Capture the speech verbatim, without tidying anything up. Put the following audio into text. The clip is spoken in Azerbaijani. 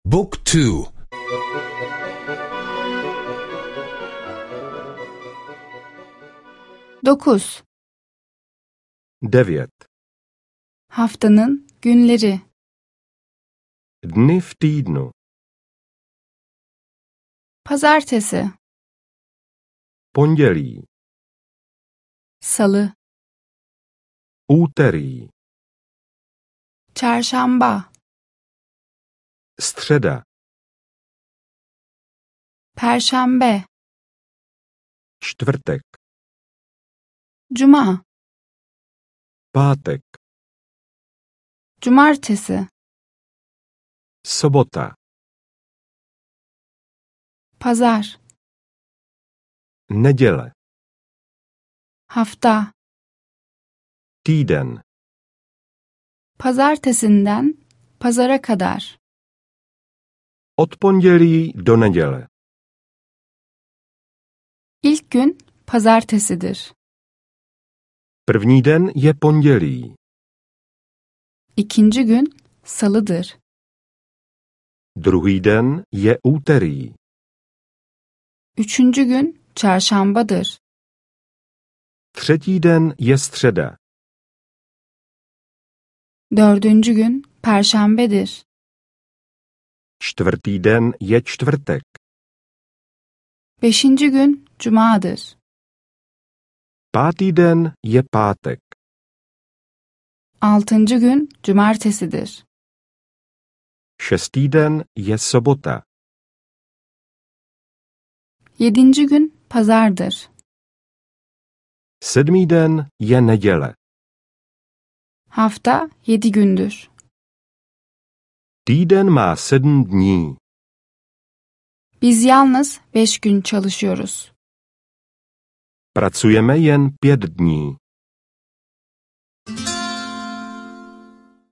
Book two. Dokuz. Devět. Haftanın günleri. Dny v týdnu. Pazartesi, Pondělí, salı, úterý, çarşamba, středa, perşembe, čtvrtek, cuma, pátek, cumartesi, sobota, pazar, neděle, hafta, týden, pazartesinden pazara kadar. od pondělí do neděle. İlk gün pazartesidir. První den je pondělí, İkinci gün salıdır. druhý den je úterý, Üçüncü gün çarşambadır. třetí den je středa, Dördüncü gün perşembedir. čtvrtý den je čtvrtek, Beşinci gün cumadır. pátý den je pátek, Altıncı gün cumartesidir. šestý den je sobota, Yedinci gün pazardır. sedmý den je neděle, Hafta yedi gündür. týden má sedm dní, Biz yalnız beş gün çalışıyoruz. pracujeme jen pět dní.